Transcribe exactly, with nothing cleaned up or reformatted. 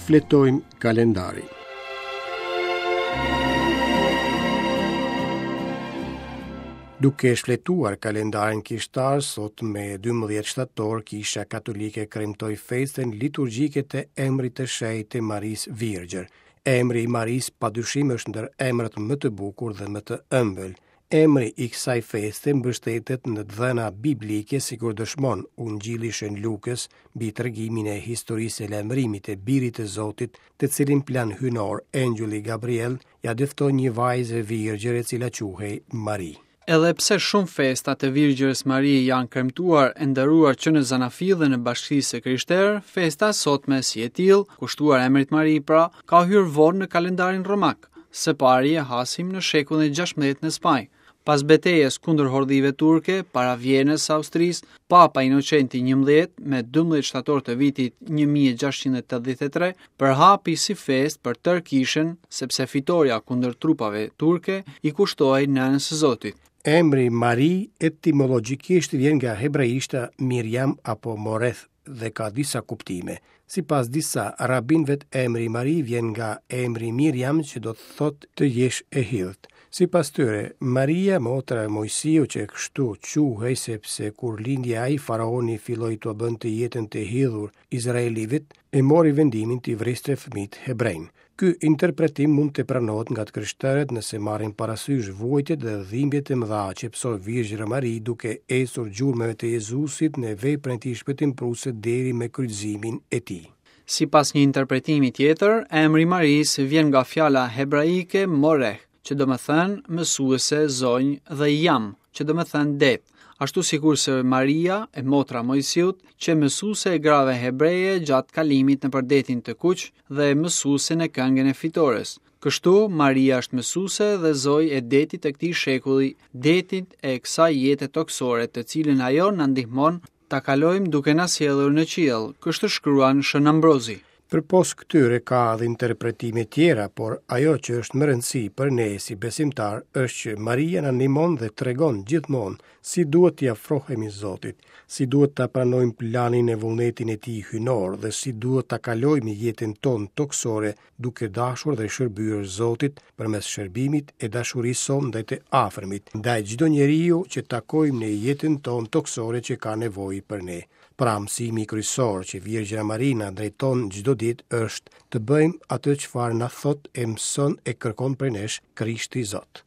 Shfletojmë kalendarin. Duke shfletuar kalendarin kishtar, sot me dymbëdhjetë shtator, Kisha Katolike kremtoi festën liturgjike të emrit të shenjtë të Marisë Virgjër. Emri i Marisë padyshim është ndër emrat më të bukur dhe më të ëmbël. Emri i kësaj feste mbështetet në të dhëna biblike, sikur dëshmon Ungjilli Shën Lukës mbi tregimin e historisë së lajmërimit të Birit të Zotit, të cilin plan hyjnor Engjëlli Gabriel ia dëftoi një vajze virgjër e cila quhej Mari. Edhe pse shumë festa të Virgjërës Mari janë kremtuar e nderuar që në Zanafi dhe në bashkësisë së krishterë, festa e sotme si e tillë, kushtuar emrit Mari pra, ka hyrë vonë në kalendarin romak. Së pari e hasim në shekullin e gjashtëmbëdhjetë në Spanjë. Pas betejës kundër hordhive turke, para Vjenës së Austrisë, Papa Inocenti njëmbëdhjetë, me dymbëdhjetë shtator të vitit një mijë e gjashtëqind e tetëdhjetë e tre, përhapi si festë për tërë kishën, sepse fitoria kundër trupave turke i kushtohej nënës së Zotit. Emri Mari etimologjikisht vjen nga hebraishta Miriam apo Moreth dhe ka disa kuptime. Sipas disa rabinëve, emri Mari vjen nga emri Miriam, që do të thotë të jesh e hidhët. Sipas tyre, Maria, motra e Moisiut, që kështu quhej sepse kur lindi ai, faraoni filloi t'ua bënte jetën të hidhur izraelitëve, e mori vendimin t'i vriste fëmijët hebrejnë. Ky interpretim mund të pranohet nga të krishterët nëse marrin parasysh vuajtjet dhe dhimbjet e mëdha që pësoi Virgjëra Mari duke ecur gjurmëve të Jezusit në veprën e tij shpëtimprurëse deri me kryqëzimin e tij. Sipas një interpretimi tjetër, emri Marisë vjen nga fjala hebraike moreh, që do më thënë mësuese, zonjë, dhe jam, që do më thënë det, ashtu sikurse Maria, e motra Moisiut, që mësuese e grave hebreje gjatë kalimit nëpër detin të kuq dhe mësuese në këngën e fitores. Kështu, Maria është mësuese dhe zojë e detit të këtij shekulli, detit e kësaj jete tokësore, të cilën ajo na ndihmon ta kalojmë duke na sjellur në qiell, kështu shkruan Shën Ambrozi. Përpos këtyre ka edhe interpretime tjera, por ajo që është më rëndësi për ne si besimtar është që Maria na ndihmon dhe tregon gjithmonë si duhet t'i afrohemi Zotit, si duhet ta pranojmë planin e vullnetin e tij hyjnor dhe si duhet ta kalojmë jetën tonë tokësore duke dashur dhe shërbyer Zotit përmes shërbimit e dashurisë sonë ndaj të afërmit, ndaj çdo njeriu që takojmë në jetën tonë tokësore që ka nevojë për ne. Pra, mësimi kryesor që Virgjëra Mari na drejton çdo ditë është të bëjmë atë çfarë na thot e mëson e kërkon prej nesh Krishti Zot.